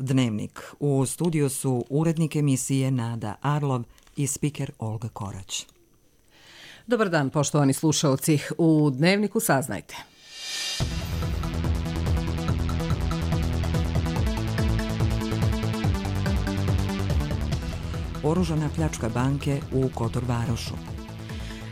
Dnevnik. U studiju su urednik emisije Nada Arlov i spiker Olga Korać. Dobar dan, poštovani slušalci. U Dnevniku saznajte. Oružana pljačka banke u Kotor Varošu.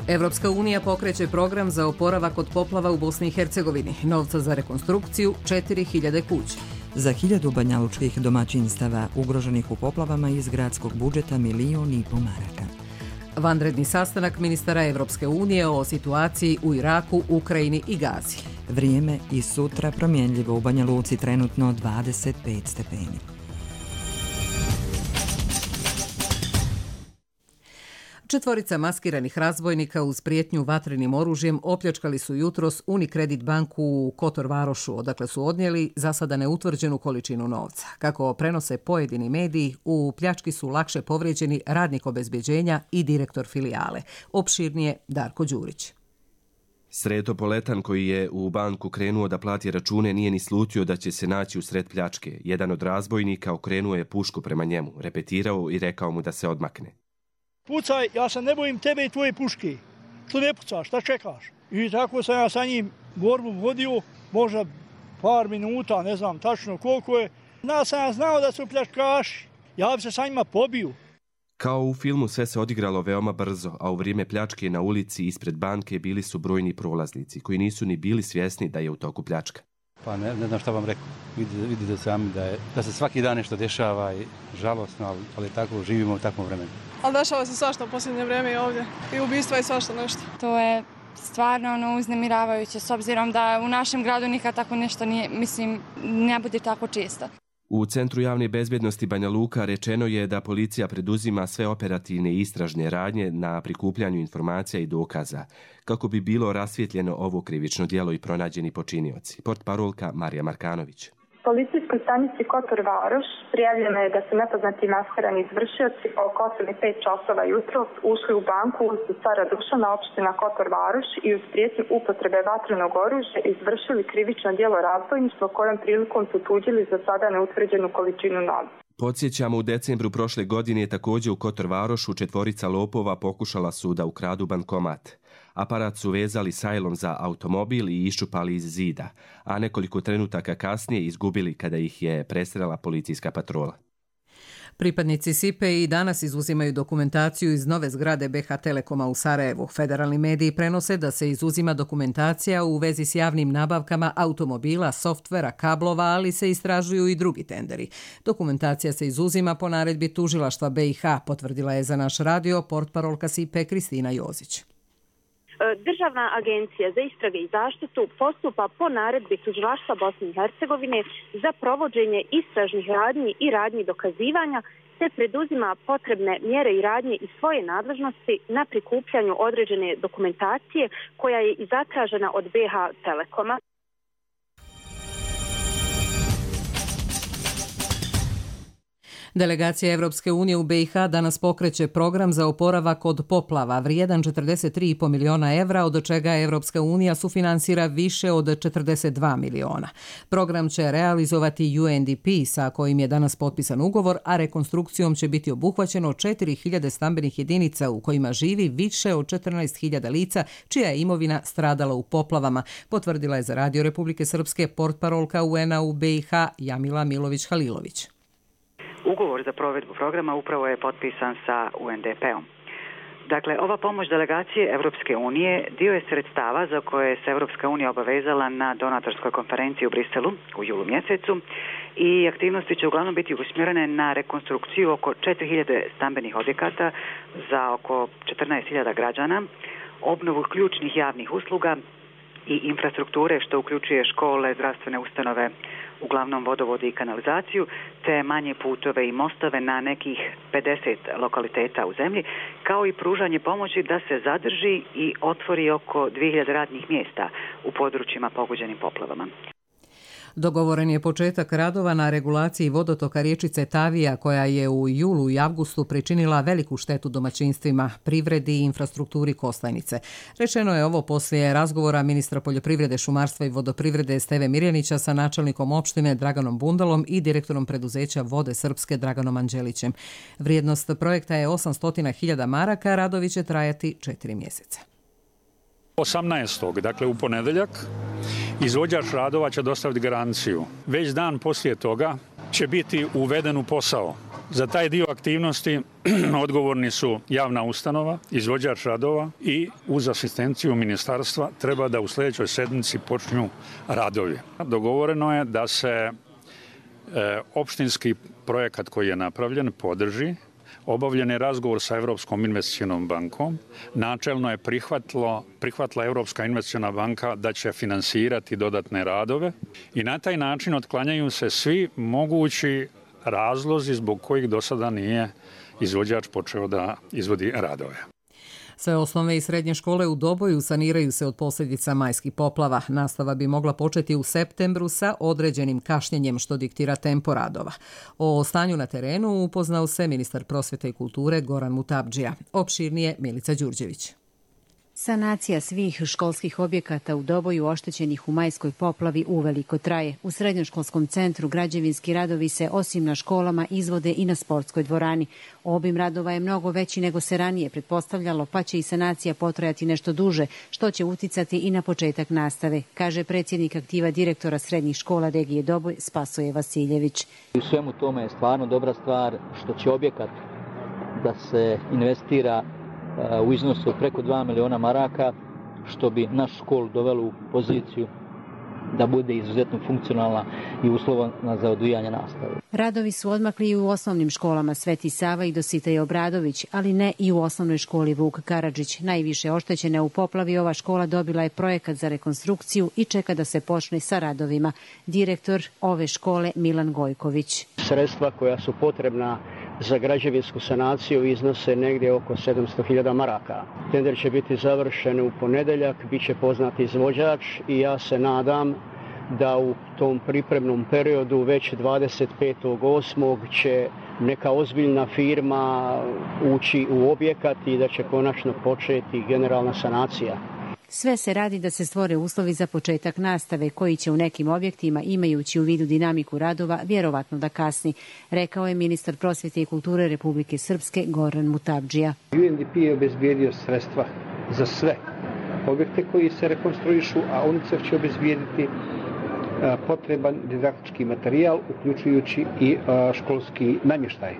Evropska unija pokreće program za oporavak od poplava u Bosni i Hercegovini. Novca za rekonstrukciju 4000 kuća. Za 1000 banjalučkih domaćinstava ugroženih u poplavama iz gradskog budžeta 1,5 miliona maraka. Vanredni sastanak ministara Evropske unije o situaciji u Iraku, Ukrajini i Gazi. Vrijeme i sutra promjenljivo, u Banja Luci trenutno 25 stepeni. Četvorica maskiranih razbojnika uz prijetnju vatrenim oružjem opljačkali su jutros Unicredit banku u Kotor Varošu, odakle su odnijeli za sada neutvrđenu količinu novca. Kako prenose pojedini mediji, u pljački su lakše povrijeđeni radnik obezbjeđenja i direktor filijale. Opširnije Darko Đurić. Sreto Poletan, koji je u banku krenuo da plati račune, nije ni slutio da će se naći u sred pljačke. Jedan od razbojnika okrenuo je pušku prema njemu, repetirao i rekao mu da se odmakne. Pucaj, ja se ne bojim tebe i tvoje puške. Što ne pucaš, šta čekaš? I tako sam ja sa njim borbu vodio, možda par minuta, ne znam tačno koliko je. Ja sam znao da su pljačkaši, ja bi se sa njima pobio. Kao u filmu sve se odigralo veoma brzo, a u vrijeme pljačke na ulici ispred banke bili su brojni prolaznici koji nisu ni bili svjesni da je u toku pljačka. Pa ne znam šta vam rekao. Vidite sami da se svaki dan nešto dešava i žalosno, ali tako živimo u takvom vremenu. Ali dešava se svašta u posljednje vrijeme i ovdje. I ubistva i svašta nešto. To je stvarno uznemiravajuće, s obzirom da u našem gradu nikad tako nešto nije, ne bude tako često. U Centru javne bezbjednosti Banja Luka rečeno je da policija preduzima sve operativne i istražne radnje na prikupljanju informacija i dokaza, kako bi bilo rasvjetljeno ovo krivično djelo i pronađeni počinioci. Portparolka Marija Markanović. Policijskoj stanici Kotor Varoš prijavljeno je da su nepoznati maskirani izvršioci oko 8:05 časova jutros ušli u banku ulicu Cara Dušana, opština Kotor Varoš, i uz prijetnju upotrebe vatrenog oružja izvršili krivično djelo razbojništva, kojom prilikom su tuđili za sada neutvrđenu količinu novca. Podsjećamo, u decembru prošle godine također u Kotor Varošu četvorica lopova pokušala su da ukradu bankomat. Aparat su vezali sajlom za automobil i iščupali iz zida, a nekoliko trenutaka kasnije izgubili kada ih je presrela policijska patrola. Pripadnici SIPE i danas izuzimaju dokumentaciju iz nove zgrade BH Telekoma u Sarajevu. Federalni mediji prenose da se izuzima dokumentacija u vezi s javnim nabavkama automobila, softvera, kablova, ali se istražuju i drugi tenderi. Dokumentacija se izuzima po naredbi tužilaštva BiH, potvrdila je za naš radio portparolka SIPE Kristina Jozić. Državna agencija za istrage i zaštitu postupa po naredbi tužilaštva Bosne i Hercegovine za provođenje istražnih radnji i radnji dokazivanja, te preduzima potrebne mjere i radnje iz svoje nadležnosti na prikupljanju određene dokumentacije koja je i zatražena od BH Telekoma. Delegacija Evropske unije u BiH danas pokreće program za oporavak od poplava vrijedan 43,5 miliona evra, od čega Evropska unija sufinansira više od 42 miliona. Program će realizovati UNDP, sa kojim je danas potpisan ugovor, a rekonstrukcijom će biti obuhvaćeno 4000 stambenih jedinica u kojima živi više od 14.000 lica čija je imovina stradala u poplavama, potvrdila je za Radio Republike Srpske portparolka UN-a u BiH Jamila Milović-Halilović. Ugovor za provedbu programa upravo je potpisan sa UNDP-om. Dakle, ova pomoć delegacije Evropske unije dio je sredstava za koje se Evropska unija obavezala na donatorskoj konferenciji u Briselu u julu mjesecu i aktivnosti će uglavnom biti usmjerene na rekonstrukciju oko 4000 stambenih objekata za oko 14.000 građana, obnovu ključnih javnih usluga i infrastrukture, što uključuje škole, zdravstvene ustanove, uglavnom vodovode i kanalizaciju, te manje putove i mostove na nekih 50 lokaliteta u zemlji, kao i pružanje pomoći da se zadrži i otvori oko 2000 radnih mjesta u područjima pogođenim poplavama. Dogovoren je početak radova na regulaciji vodotoka riječice Tavija koja je u julu i avgustu pričinila veliku štetu domaćinstvima, privredi i infrastrukturi Kostajnice. Rečeno je ovo poslije razgovora ministra poljoprivrede, šumarstva i vodoprivrede Steve Mirjanića sa načelnikom opštine Draganom Bundalom i direktorom preduzeća Vode Srpske Draganom Anđelićem. Vrijednost projekta je 800.000 maraka, radovi će trajati 4 mjeseca. 18. dakle u ponedeljak, izvođač radova će dostaviti garanciju. Već dan poslije toga će biti uveden u posao. Za taj dio aktivnosti odgovorni su javna ustanova, izvođač radova i uz asistenciju ministarstva treba da u sljedećoj sedmici počnu radovi. Dogovoreno je da se opštinski projekat koji je napravljen podrži. Obavljen je razgovor sa Europskom investicionom bankom. Načelno je prihvatila Europska investiciona banka da će finansirati dodatne radove i na taj način otklanjaju se svi mogući razlozi zbog kojih do sada nije izvođač počeo da izvodi radove. Sve osnovne i srednje škole u Doboju saniraju se od posljedica majskih poplava. Nastava bi mogla početi u septembru sa određenim kašnjenjem što diktira tempo radova. O stanju na terenu upoznao se ministar prosvjete i kulture Goran Mutabdžija. Opširnije Milica Đurđević. Sanacija svih školskih objekata u Doboju oštećenih u majskoj poplavi uveliko traje. U srednjoškolskom centru građevinski radovi se osim na školama izvode i na sportskoj dvorani. Obim radova je mnogo veći nego se ranije pretpostavljalo, pa će i sanacija potrajati nešto duže, što će uticati i na početak nastave, kaže predsjednik aktiva direktora srednjih škola regije Doboj Spasoje Vasiljević. U svemu tome je stvarno dobra stvar što će objekat da se investira u iznosu preko 2 miliona maraka, što bi našu školu dovelo u poziciju da bude izuzetno funkcionalna i uslovna za odvijanje nastave. Radovi su odmakli i u osnovnim školama Sveti Sava i Dositej Obradović, ali ne i u osnovnoj školi Vuk Karadžić. Najviše oštećena u poplavi ova škola dobila je projekat za rekonstrukciju i čeka da se počne sa radovima. Direktor ove škole Milan Gojković. Sredstva koja su potrebna za građevinsku sanaciju iznose negdje oko 700.000 maraka. Tender će biti završen u ponedeljak, bit će poznat izvođač i ja se nadam da u tom pripremnom periodu već 25.8. će neka ozbiljna firma ući u objekat i da će konačno početi generalna sanacija. Sve se radi da se stvore uslovi za početak nastave, koji će u nekim objektima, imajući u vidu dinamiku radova, vjerovatno da kasni, rekao je ministar prosvjete i kulture Republike Srpske Goran Mutabdžija. UNDP je obezbijedio sredstva za sve objekte koji se rekonstruišu, a UNICEF će obezbijediti potreban didaktički materijal, uključujući i školski namještaj.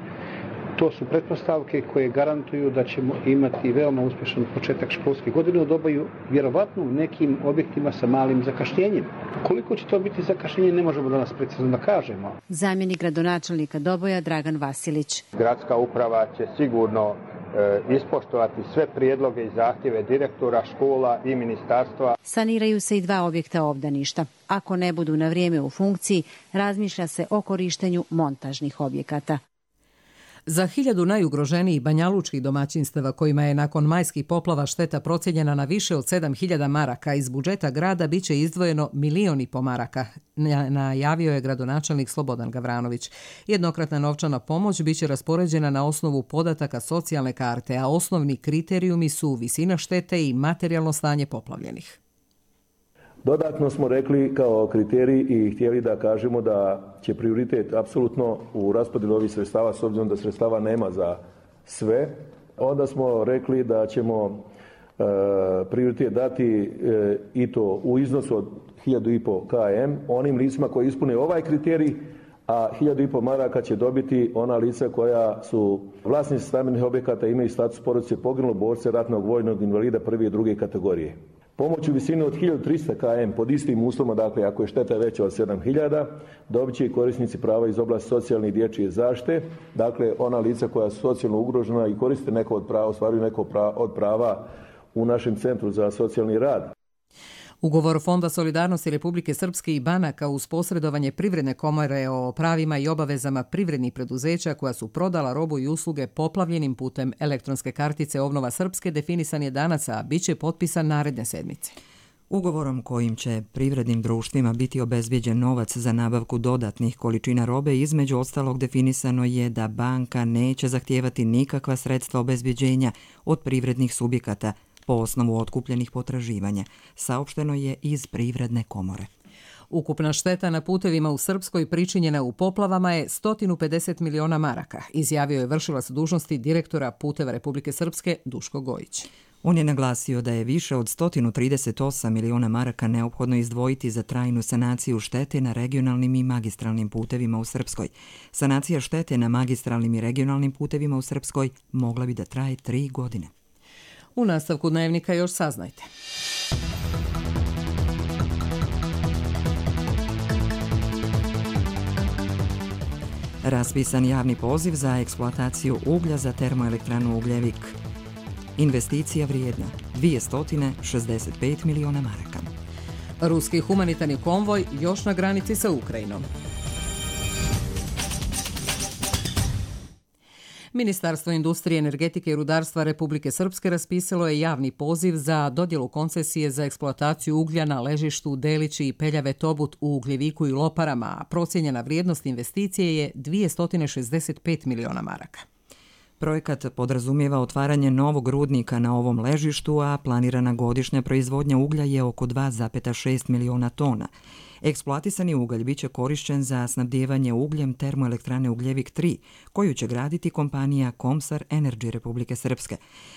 To su pretpostavke koje garantuju da ćemo imati veoma uspješan početak školske godine u Doboju, vjerovatno u nekim objektima sa malim zakašnjenjem. Koliko će to biti zakašnjenje, ne možemo danas precizno da kažemo. Zamjenik gradonačelnika Doboja Dragan Vasilić. Gradska uprava će sigurno ispoštovati sve prijedloge i zahtjeve direktora škola i ministarstva. Saniraju se i 2 objekta obdaništa. Ako ne budu na vrijeme u funkciji, razmišlja se o korištenju montažnih objekata. Za 1000 najugroženijih banjalučkih domaćinstava kojima je nakon majskih poplava šteta procijenjena na više od 7.000 maraka iz budžeta grada biće izdvojeno 1,5 miliona maraka, najavio je gradonačelnik Slobodan Gavranović. Jednokratna novčana pomoć biće raspoređena na osnovu podataka socijalne karte, a osnovni kriterijumi su visina štete i materijalno stanje poplavljenih. Dodatno smo rekli kao kriterij i htjeli da kažemo da će prioritet apsolutno u raspodjeli ovih sredstava, s obzirom da sredstava nema za sve, onda smo rekli da ćemo prioritet dati i to u iznosu od 1.500 km onim licima koji ispune ovaj kriterij, a 1.500 maraka će dobiti ona lica koja su vlasnici stambenih objekata, imaju status porodice poginulog borca, ratnog vojnog invalida 1. i 2. kategorije. Pomoć u visini od 1.300 km pod istim uslovima, dakle ako je šteta veća od 7.000, dobit će i korisnici prava iz oblasti socijalne i dječje zaštite, dakle ona lica koja su socijalno ugrožena i koriste neko od prava, ostvaruju neko od prava u našem centru za socijalni rad. Ugovor Fonda solidarnosti Republike Srpske i banaka uz posredovanje Privredne komore o pravima i obavezama privrednih preduzeća koja su prodala robu i usluge poplavljenim putem elektronske kartice Obnova Srpske definisan je danas, a bit će potpisan naredne sedmice. Ugovorom kojim će privrednim društvima biti obezbijeđen novac za nabavku dodatnih količina robe, između ostalog definisano je da banka neće zahtijevati nikakva sredstva obezbijeđenja od privrednih subjekata po osnovu otkupljenih potraživanja, saopšteno je iz Privredne komore. Ukupna šteta na putevima u Srpskoj pričinjena u poplavama je 150 miliona maraka, izjavio je vršilac dužnosti direktora Puteva Republike Srpske Duško Gojić. On je naglasio da je više od 138 miliona maraka neophodno izdvojiti za trajnu sanaciju štete na regionalnim i magistralnim putevima u Srpskoj. Sanacija štete na magistralnim i regionalnim putevima u Srpskoj mogla bi da traje 3 godine. U nastavku dnevnika još saznajte. Raspisan javni poziv za eksploataciju uglja za termoelektranu Ugljevik. Investicija vrijedna 265 miliona maraka. Ruski humanitarni konvoj još na granici sa Ukrajinom. Ministarstvo industrije, energetike i rudarstva Republike Srpske raspisalo je javni poziv za dodjelu koncesije za eksploataciju uglja na ležištu Delići i Peljave Tobut u Ugljeviku i Loparama, a procijenjena vrijednost investicije je 265 miliona maraka. Projekat podrazumijeva otvaranje novog rudnika na ovom ležištu, a planirana godišnja proizvodnja uglja je oko 2,6 miliona tona. Eksploatisani ugalj biće korišćen za snabdijevanje ugljem termoelektrane Ugljevik 3, koju će graditi kompanija Komsar Energy Republike Srpske.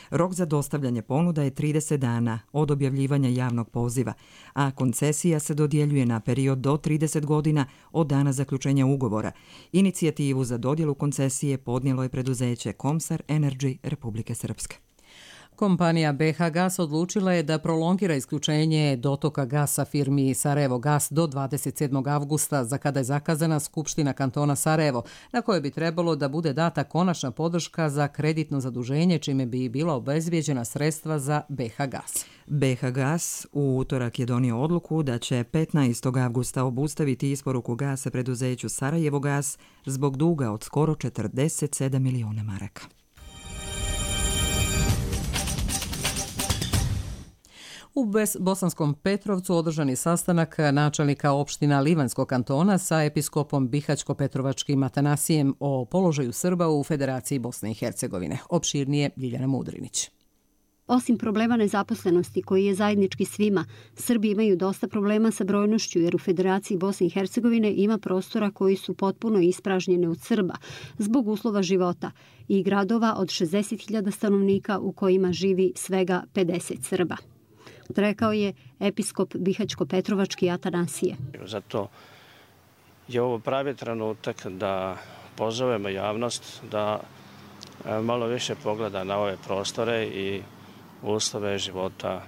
Rok za dostavljanje ponuda je 30 dana od objavljivanja javnog poziva, a koncesija se dodjeljuje na period do 30 godina od dana zaključenja ugovora. Inicijativu za dodjelu koncesije podnijelo je preduzeće Komsar Energy Republike Srpske. Kompanija BH Gas odlučila je da prolongira isključenje dotoka gasa firmi Sarajevo Gas do 27. avgusta, za kada je zakazana Skupština kantona Sarajevo, na kojoj bi trebalo da bude data konačna podrška za kreditno zaduženje, čime bi bila obezbijeđena sredstva za BH Gas. BH Gas u utorak je donio odluku da će 15. avgusta obustaviti isporuku gasa preduzeću Sarajevo Gas zbog duga od skoro 47 miliona maraka. U Bosanskom Petrovcu održan je sastanak načelnika opština Livanjskog kantona sa episkopom Bihaćko-Petrovačkim Atanasijem o položaju Srba u Federaciji Bosne i Hercegovine. Opširnije Ljiljana Mudrinić. Osim problema nezaposlenosti koji je zajednički svima, Srbi imaju dosta problema sa brojnošću jer u Federaciji Bosne i Hercegovine ima prostora koji su potpuno ispražnjene od Srba zbog uslova života i gradova od 60.000 stanovnika u kojima živi svega 50 Srba. Rekao je episkop Bihaćko-Petrovački Atanasije. Zato je ovo pravi trenutak da pozovemo javnost da malo više pogleda na ove prostore i uslove života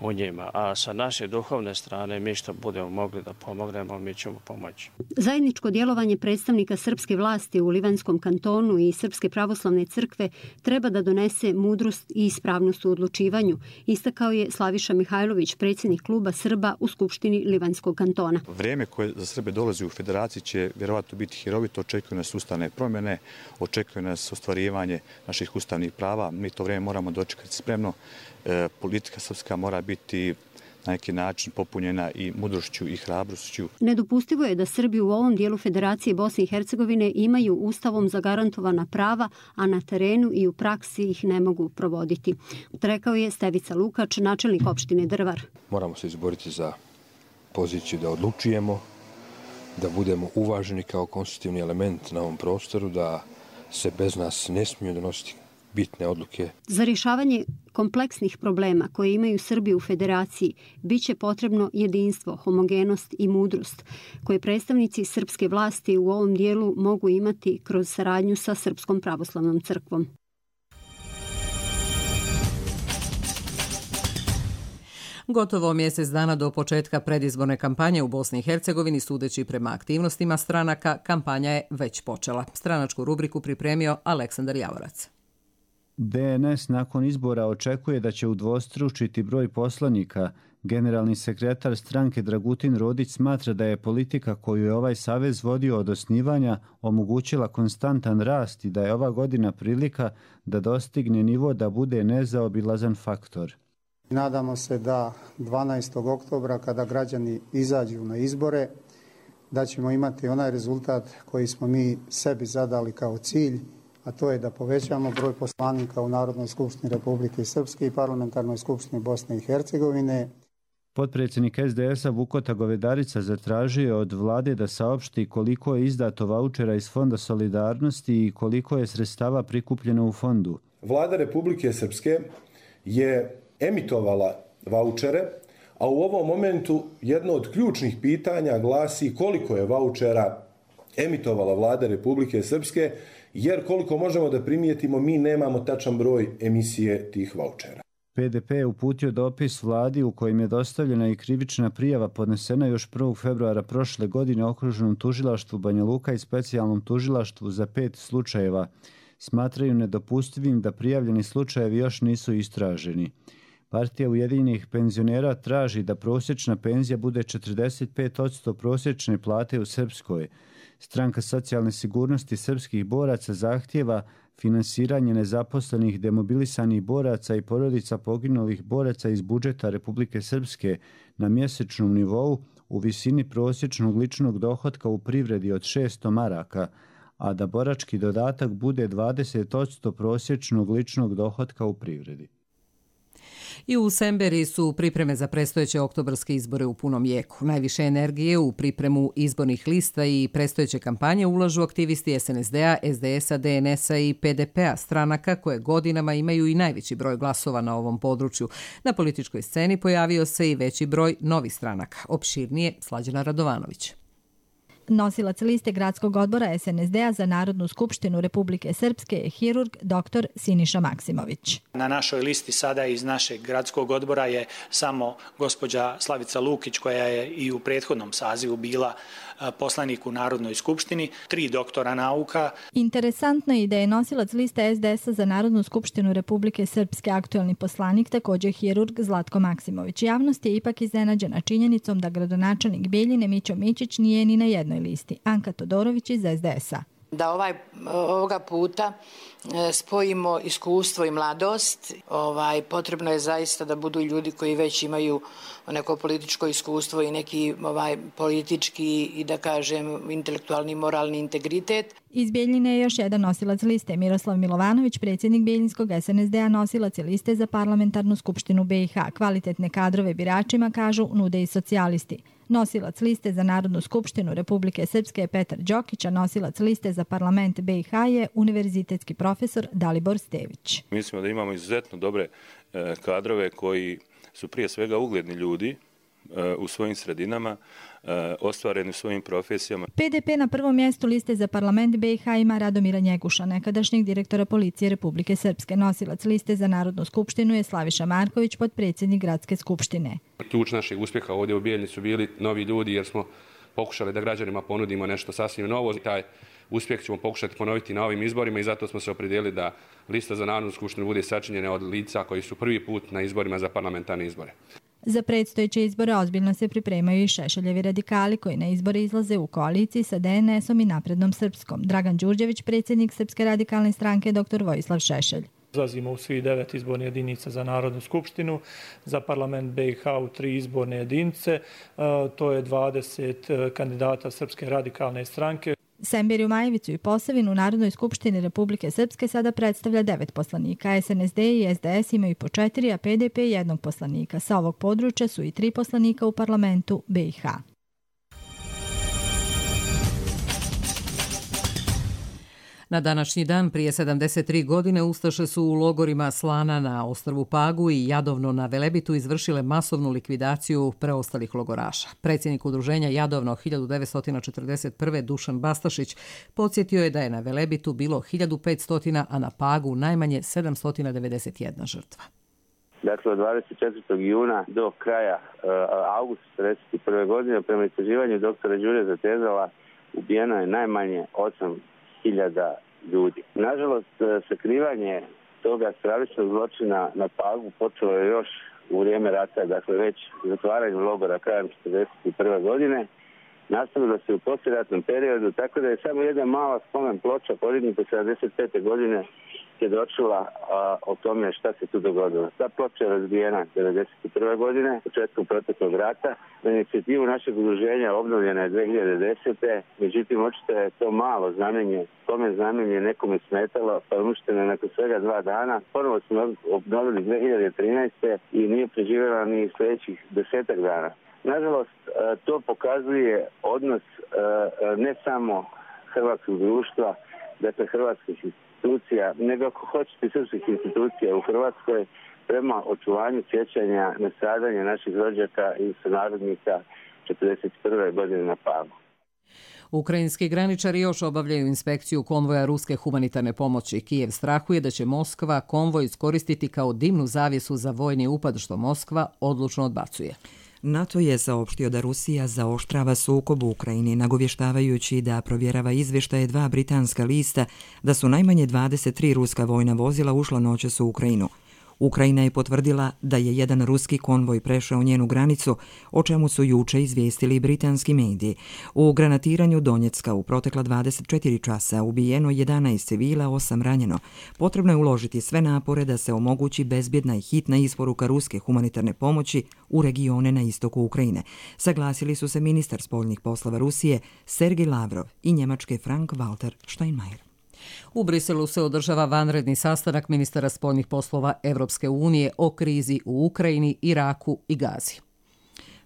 u njima. A sa naše duhovne strane, mi što budemo mogli da pomognemo, mi ćemo pomoći. Zajedničko djelovanje predstavnika srpske vlasti u Livanjskom kantonu i Srpske pravoslavne crkve treba da donese mudrost i ispravnost u odlučivanju, istakao je Slaviša Mihajlović, predsjednik kluba Srba u Skupštini Livanjskog kantona. Vrijeme koje za Srbe dolazi u Federaciji će vjerovatno biti hirovito, očekuje nas ustavne promjene, očekuje nas ostvarivanje naših ustavnih prava. Mi to vrijeme moramo dočekati spremno. Politika srpska mora biti na neki način popunjena i mudrošću i hrabrošću. Nedopustivo je da Srbi u ovom dijelu Federacije Bosne i Hercegovine imaju ustavom zagarantovana prava, a na terenu i u praksi ih ne mogu provoditi. Rekao je Stevica Lukač, načelnik opštine Drvar. Moramo se izboriti za poziciju da odlučujemo, da budemo uvaženi kao konstitutivni element na ovom prostoru, da se bez nas ne smiju donositi bitne odluke. Za rješavanje kompleksnih problema koje imaju Srbi u Federaciji biće potrebno jedinstvo, homogenost i mudrost koje predstavnici srpske vlasti u ovom dijelu mogu imati kroz saradnju sa Srpskom pravoslavnom crkvom. Gotovo mjesec dana do početka predizborne kampanje u Bosni i Hercegovini, sudeći prema aktivnostima stranaka, kampanja je već počela. Stranačku rubriku pripremio Aleksandar Javorac. BNS nakon izbora očekuje da će udvostručiti broj poslanika. Generalni sekretar stranke Dragutin Rodić smatra da je politika koju je ovaj savez vodio od osnivanja omogućila konstantan rast i da je ova godina prilika da dostigne nivo da bude nezaobilazan faktor. Nadamo se da 12. oktobra kada građani izađu na izbore, da ćemo imati onaj rezultat koji smo mi sebi zadali kao cilj, a to je da povećamo broj poslanika u Narodnoj skupštini Republike Srpske i Parlamentarnoj skupštini Bosne i Hercegovine. Potpredsjednik SDS-a Vukota Govedarica zatražio je od vlade da saopšti koliko je izdato vaučera iz Fonda solidarnosti i koliko je sredstava prikupljeno u fondu. Vlada Republike Srpske je emitovala vaučere, a u ovom momentu jedno od ključnih pitanja glasi koliko je vaučera emitovala Vlada Republike Srpske, jer koliko možemo da primijetimo, mi nemamo tačan broj emisije tih vaučera. PDP je uputio dopis vladi u kojem je dostavljena i krivična prijava podnesena još 1. februara prošle godine Okružnom tužilaštvu Banja Luka i specijalnom tužilaštvu za 5 slučajeva. Smatraju nedopustivim da prijavljeni slučajevi još nisu istraženi. Partija Ujedinjenih penzionera traži da prosječna penzija bude 45% prosječne plate u Srpskoj. Stranka socijalne sigurnosti srpskih boraca zahtijeva finansiranje nezaposlenih demobilisanih boraca i porodica poginulih boraca iz budžeta Republike Srpske na mjesečnom nivou u visini prosječnog ličnog dohotka u privredi od 600 maraka, a da borački dodatak bude 20% prosječnog ličnog dohotka u privredi. I u Semberi su pripreme za predstojeće oktobarske izbore u punom jeku. Najviše energije u pripremu izbornih lista i predstojeće kampanje ulažu aktivisti SNSD-a, SDS-a, DNS-a i PDP-a, stranaka koje godinama imaju i najveći broj glasova na ovom području. Na političkoj sceni pojavio se i veći broj novih stranaka. Opširnije Slađana Radovanović. Nosilac liste gradskog odbora SNSD-a za Narodnu skupštinu Republike Srpske je hirurg dr. Siniša Maksimović. Na našoj listi sada iz našeg gradskog odbora je samo gospođa Slavica Lukić, koja je i u prethodnom sazivu bila poslanik u Narodnoj skupštini, 3 doktora nauka. Interesantno je da je nosilac liste SDS-a za Narodnu skupštinu Republike Srpske aktuelni poslanik, također hirurg Zlatko Maksimović. Javnost je ipak iznenađena činjenicom da gradonačelnik Bijeljine Mićo Mićić nije ni na jednoj listi. Anka Todorović iz SDS-a. Da ovoga puta spojimo iskustvo i mladost. Potrebno je zaista da budu ljudi koji već imaju neko političko iskustvo i neki politički i da kažem intelektualni moralni integritet. Iz Bijeljine je još jedan nosilac liste. Miroslav Milovanović, predsjednik Bijeljinskog SNSD-a, nosilac je liste za parlamentarnu skupštinu BiH. Kvalitetne kadrove biračima, kažu, nude i socijalisti. Nosilac liste za Narodnu skupštinu Republike Srpske je Petar Đokić, a nosilac liste za parlament BiH je univerzitetski profesor Dalibor Stević. Mislimo da imamo izuzetno dobre kadrove koji su prije svega ugledni ljudi u svojim sredinama, ostvareni u svojim profesijama. PDP na prvom mjestu liste za parlament BiH ima Radomira Njeguša, nekadašnjeg direktora policije Republike Srpske. Nosilac liste za Narodnu skupštinu je Slaviša Marković, potpredsjednik gradske skupštine. Ključ našeg uspjeha ovdje u Bijeljini su bili novi ljudi, jer smo pokušali da građanima ponudimo nešto sasvim novo. Taj uspjeh ćemo pokušati ponoviti na ovim izborima i zato smo se opredijelili da lista za Narodnu skupštinu bude sačinjena od lica koji su prvi put na izborima za parlamentarne izbore. Za predstojeće izbore ozbiljno se pripremaju i Šešeljevi radikali koji na izbore izlaze u koaliciji sa DNS-om i Naprednom Srpskom. Dragan Đurđević, predsjednik Srpske radikalne stranke, dr. Vojislav Šešelj. Izlazimo u svih 9 izborne jedinica za Narodnu skupštinu, za parlament BiH u 3 izborne jedinice. To je 20 kandidata Srpske radikalne stranke. Semberiju, Majevicu i Posavinu u Narodnoj skupštini Republike Srpske sada predstavlja 9 poslanika. SNSD i SDS imaju po 4, a PDP 1 poslanika. Sa ovog područja su i 3 poslanika u parlamentu BiH. Na današnji dan prije 73 godine ustaše su u logorima Slana na ostrvu Pagu i Jadovno na Velebitu izvršile masovnu likvidaciju preostalih logoraša. Predsjednik udruženja Jadovno 1941. Dušan Bastašić podsjetio je da je na Velebitu bilo 1500, a na Pagu najmanje 791 žrtva. Dakle, od 24. juna do kraja augusta 1941. godine prema istraživanju doktora Đure Zatezala ubijeno je najmanje 8.000 ljudi. Nažalost, sakrivanje toga stravičnog zločina na Pagu počelo je još u vrijeme rata, dakle već zatvaranjem logora krajem 1941. godine nastavilo se u poslijeratnom periodu, tako da je samo jedna mala spomen ploča podignuta 75. godine svjedočila o tome šta se tu dogodilo. Ta ploča je razbijena 1991. godine, početkom proteklog rata. Na inicijativu našeg udruženja obnovljena je 2010. Međutim, očito je to malo znamenje, spomen znamenje nekome smetalo, pa je uništeno nakon svega 2 dana. Ponovo smo obnovili 2013. i nije preživjela ni sljedećih 10 dana. Nažalost, to pokazuje odnos ne samo hrvatskog društva, dakle hrvatskih institucija, nego ako hoćete srpskih institucija u Hrvatskoj prema očuvanju sjećanja na stradanje naših rođaka i sunarodnika 1941. godine na Pagu. Ukrajinski graničari još obavljaju inspekciju konvoja ruske humanitarne pomoći. Kijev strahuje da će Moskva konvoj iskoristiti kao dimnu zavjesu za vojni upad, što Moskva odlučno odbacuje. NATO je saopštio da Rusija zaoštrava sukob u Ukrajini, nagovještavajući da provjerava izvještaje 2 britanska lista da su najmanje 23 ruska vojna vozila ušla noćas u Ukrajinu. Ukrajina je potvrdila da je jedan ruski konvoj prešao njenu granicu, o čemu su juče izvijestili britanski mediji. U granatiranju Donjecka u protekla 24 časa ubijeno 11 civila, 8 ranjeno. Potrebno je uložiti sve napore da se omogući bezbjedna i hitna isporuka ruske humanitarne pomoći u regione na istoku Ukrajine. Saglasili su se ministar spoljnih poslova Rusije Sergej Lavrov i njemačke Frank-Walter Steinmeier. U Briselu se održava vanredni sastanak ministara spoljnih poslova Evropske unije o krizi u Ukrajini, Iraku i Gazi.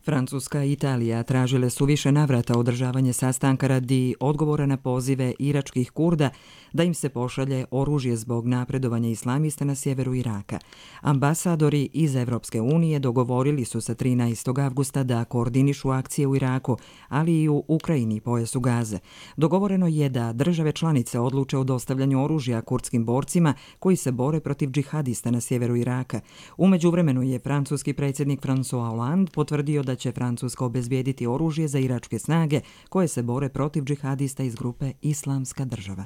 Francuska i Italija tražile su više navrata održavanje sastanka radi odgovora na pozive iračkih Kurda da im se pošalje oružje zbog napredovanja islamista na sjeveru Iraka. Ambasadori iz Evropske unije dogovorili su se 13. avgusta da koordinišu akcije u Iraku, ali i u Ukrajini i pojasu Gaze. Dogovoreno je da države članice odluče o dostavljanju oružja kurdskim borcima koji se bore protiv džihadista na sjeveru Iraka. U međuvremenu je francuski predsjednik François Hollande potvrdio da će Francuska obezbijediti oružje za iračke snage koje se bore protiv džihadista iz grupe Islamska država.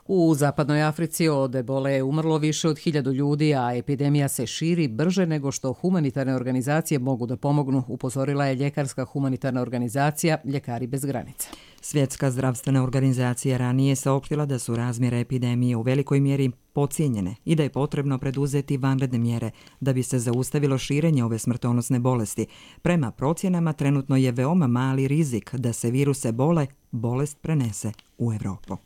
U zapadnoj Africi od ebole je umrlo više od 1000 ljudi, a epidemija se širi brže nego što humanitarne organizacije mogu da pomognu, upozorila je ljekarska humanitarna organizacija Ljekari bez granica. Svjetska zdravstvena organizacija ranije saopštila da su razmjere epidemije u velikoj mjeri podcijenjene i da je potrebno preduzeti vanredne mjere da bi se zaustavilo širenje ove smrtonosne bolesti. Prema procjenama trenutno je veoma mali rizik da se virus ebole bolest prenese u Europu.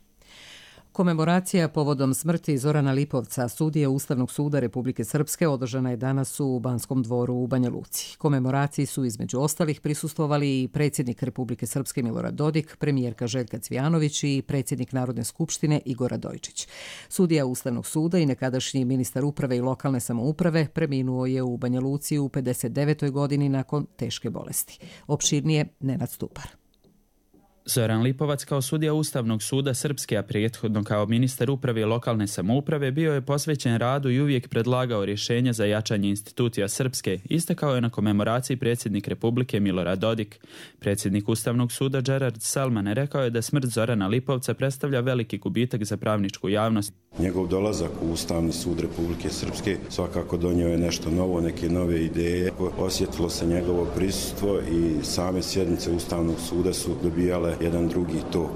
Komemoracija povodom smrti Zorana Lipovca, sudije Ustavnog suda Republike Srpske, održana je danas u Banskom dvoru u Banja Luci. Komemoraciji su između ostalih prisustvovali i predsjednik Republike Srpske Milorad Dodik, premijerka Željka Cvijanović i predsjednik Narodne skupštine Igor Radojičić. Sudija Ustavnog suda i nekadašnji ministar uprave i lokalne samouprave preminuo je u Banja Luci u 59. godini nakon teške bolesti. Opširnije Nenad Stupar. Zoran Lipovac kao sudija Ustavnog suda Srpske, a prethodno kao ministar uprave i lokalne samouprave, bio je posvećen radu i uvijek predlagao rješenja za jačanje institucija Srpske, istakao je na komemoraciji predsjednik Republike Milorad Dodik. Predsjednik Ustavnog suda Gerard Salman rekao je da smrt Zorana Lipovca predstavlja veliki gubitak za pravničku javnost. Njegov dolazak u Ustavni sud Republike Srpske svakako donio je nešto novo, neke nove ideje. Osjetilo se njegovo prisustvo i same sjednice Ustavnog suda su dobijale jedan drugi tok.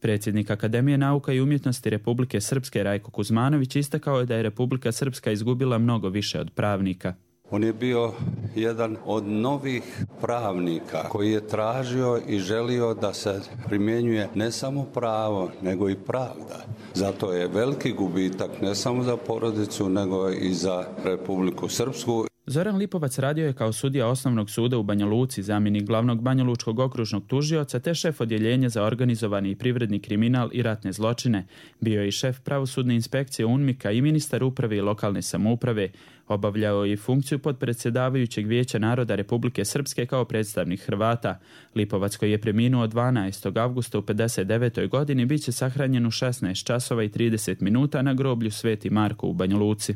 Predsjednik Akademije nauka i umjetnosti Republike Srpske Rajko Kuzmanović istakao je da je Republika Srpska izgubila mnogo više od pravnika. On je bio jedan od novih pravnika koji je tražio i želio da se primjenjuje ne samo pravo, nego i pravda. Zato je veliki gubitak ne samo za porodicu, nego i za Republiku Srpsku. Zoran Lipovac radio je kao sudija Osnovnog suda u Banja Luci, zamjenik glavnog banjalučkog okružnog tužioca te šef odjeljenja za organizovani i privredni kriminal i ratne zločine. Bio je i šef pravosudne inspekcije UNMIK-a i ministar uprave i lokalne samouprave. Obavljao je i funkciju podpredsjedavajućeg Vijeća naroda Republike Srpske kao predstavnik Hrvata. Lipovac, koji je preminuo 12. avgusta u 59. godini, bit će sahranjen u 16 časova i 30 minuta na groblju Sveti Marko u Banja Luci.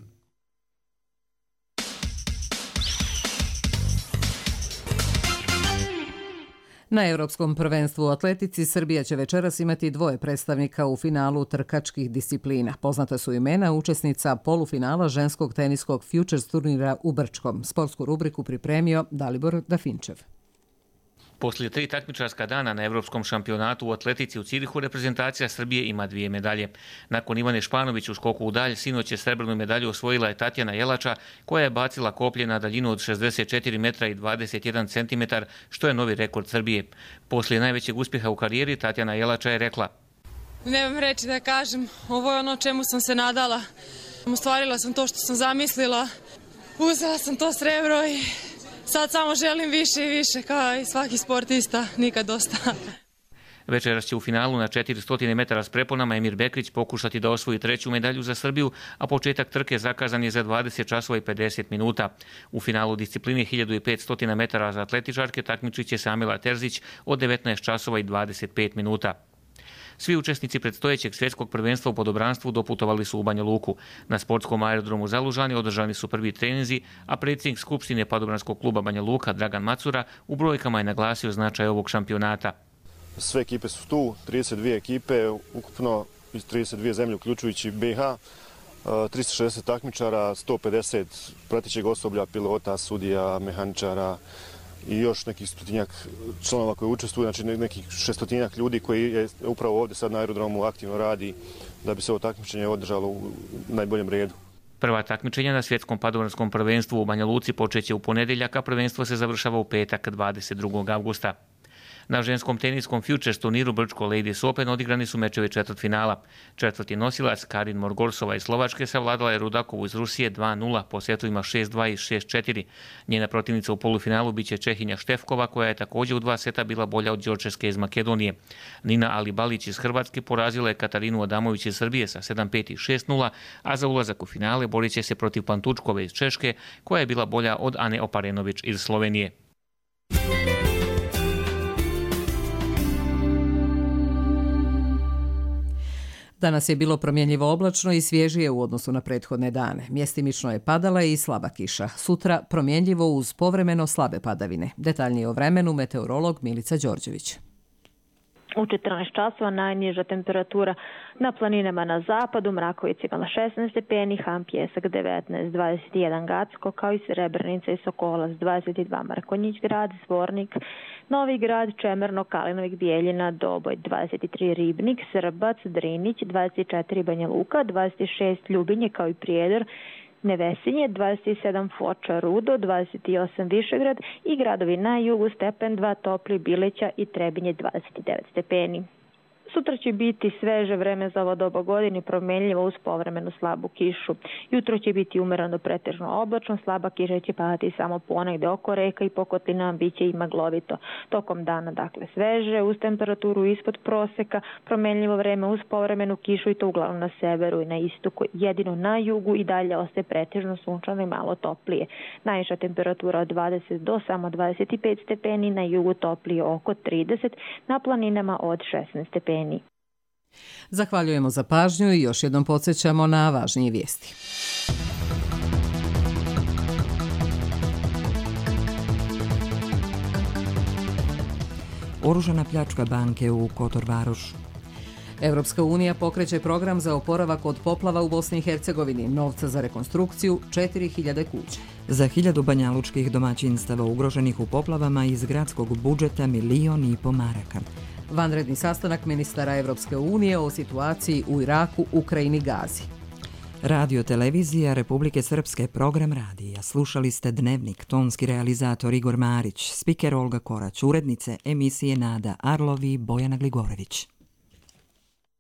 Na Europskom prvenstvu u atletici Srbija će večeras imati 2 predstavnika u finalu trkačkih disciplina. Poznata su imena učesnica polufinala ženskog teniskog Futures turnira u Brčkom. Sportsku rubriku pripremio Dalibor Dafinčev. Poslije 3 takmičarska dana na Evropskom šampionatu u atletici u Cirihu reprezentacija Srbije ima 2 medalje. Nakon Ivane Španović u skoku u dalj, sinoć je srebrnu medalju osvojila je Tatjana Jelača, koja je bacila koplje na daljinu od 64 metra i 21 centimetar, što je novi rekord Srbije. Poslije najvećeg uspjeha u karijeri Tatjana Jelača je rekla: Nemam reći da kažem, ovo je ono čemu sam se nadala. Ostvarila sam to što sam zamislila, uzela sam to srebro i sad samo želim više i više, kao i svaki sportista, nikad dosta. Večeras će u finalu na 400 metara s preponama Emir Bekrić pokušati da osvoji 3. medalju za Srbiju, a početak trke zakazan je za 20 časova i 50 minuta. U finalu discipline 1500 metara za atletičarke takmičit će se Amila Terzić od 19 časova i 25 minuta. Svi učesnici predstojećeg svjetskog prvenstva u podobranstvu doputovali su u Banja Luku. Na sportskom aerodromu Zalužani održani su prvi treninzi, a predsjednik Skupštine Padobranskog kluba Banja Luka Dragan Macura u brojkama je naglasio značaj ovog šampionata. Sve ekipe su tu, 32 ekipe, ukupno iz 32 zemlje uključujući BiH, 360 takmičara, 150 pratećeg osoblja, pilota, sudija, mehaničara i još nekih 100 članova koji učestvuju, znači nekih 600 ljudi koji je upravo ovdje sad na aerodromu aktivno radi da bi se ovo takmičenje održalo u najboljem redu. Prva takmičenja na svjetskom padobranskom prvenstvu u Banja Luci počeće u ponedjeljak, a prvenstvo se završava u petak 22. avgusta. Na ženskom teniskom Futures turniru Brčko Ladies Open odigrani su mečevi četvrtfinala. Četvrti nosilac Karin Morgorsova iz Slovačke savladala je Rudakovu iz Rusije 2-0 po setovima 6-2 i 6-4. Njena protivnica u polufinalu biće Čehinja Štefkova, koja je također u 2 seta bila bolja od Đorčeske iz Makedonije. Nina Alibalić iz Hrvatske porazila je Katarinu Adamović iz Srbije sa 7-5 i 6-0, a za ulazak u finale borit će se protiv Pantučkove iz Češke, koja je bila bolja od Ane Oparenović iz Slovenije. Danas je bilo promjenjivo oblačno i svježije u odnosu na prethodne dane. Mjestimično je padala i slaba kiša. Sutra promjenjivo uz povremeno slabe padavine. Detaljnije o vremenu meteorolog Milica Đorđević. U 14 časova najniža temperatura na planinama na zapadu, Mraković imala 16 stepeni, Ham Pjesak 19, 21 Gacko, kao i Srebrenica i Sokolac 22, Mrkonjić grad, Zvornik, Novi grad, Čemerno, Kalinovik, Bijeljina, Doboj 23, Ribnik, Srbac, Drinić 24, Banja Luka, 26 Ljubinje kao i Prijedor, Nevesinje, 27 Foča, Rudo, 28 Višegrad i gradovi na jugu Stepen 2, Topli, Bileća i Trebinje 29 stepeni. Sutra će biti sveže vreme za ovo doba godine, promjenljivo uz povremenu slabu kišu. Jutro će biti umereno pretežno oblačno, slaba kiša će padati samo ponegde oko reka i po kotlinama biće i maglovito. Tokom dana, dakle, sveže, uz temperaturu ispod proseka, promjenljivo vreme uz povremenu kišu i to uglavnom na severu i na istoku. Jedino na jugu i dalje ostaje pretežno sunčano i malo toplije. Najviša temperatura od 20 do samo 25 stepeni, na jugu toplije oko 30, na planinama od 16 stepeni. Zahvaljujemo za pažnju i još jednom podsjećamo na važnije vijesti. Oružana pljačka banke u Kotor Varošu. Evropska unija pokreće program za oporavak od poplava u Bosni i Hercegovini, novca za rekonstrukciju 4000 kuća. Za 1000 banjalučkih domaćinstava ugroženih u poplavama iz gradskog budžeta 1,5 miliona maraka. Vanredni sastanak ministara Evropske unije o situaciji u Iraku, Ukrajini, Gazi. Radio televizija Republike Srpske, program radija. Slušali ste Dnevnik, tonski realizator Igor Marić, spiker Olga Korać, urednice emisije Nada Arlovi, Bojana Gligorević.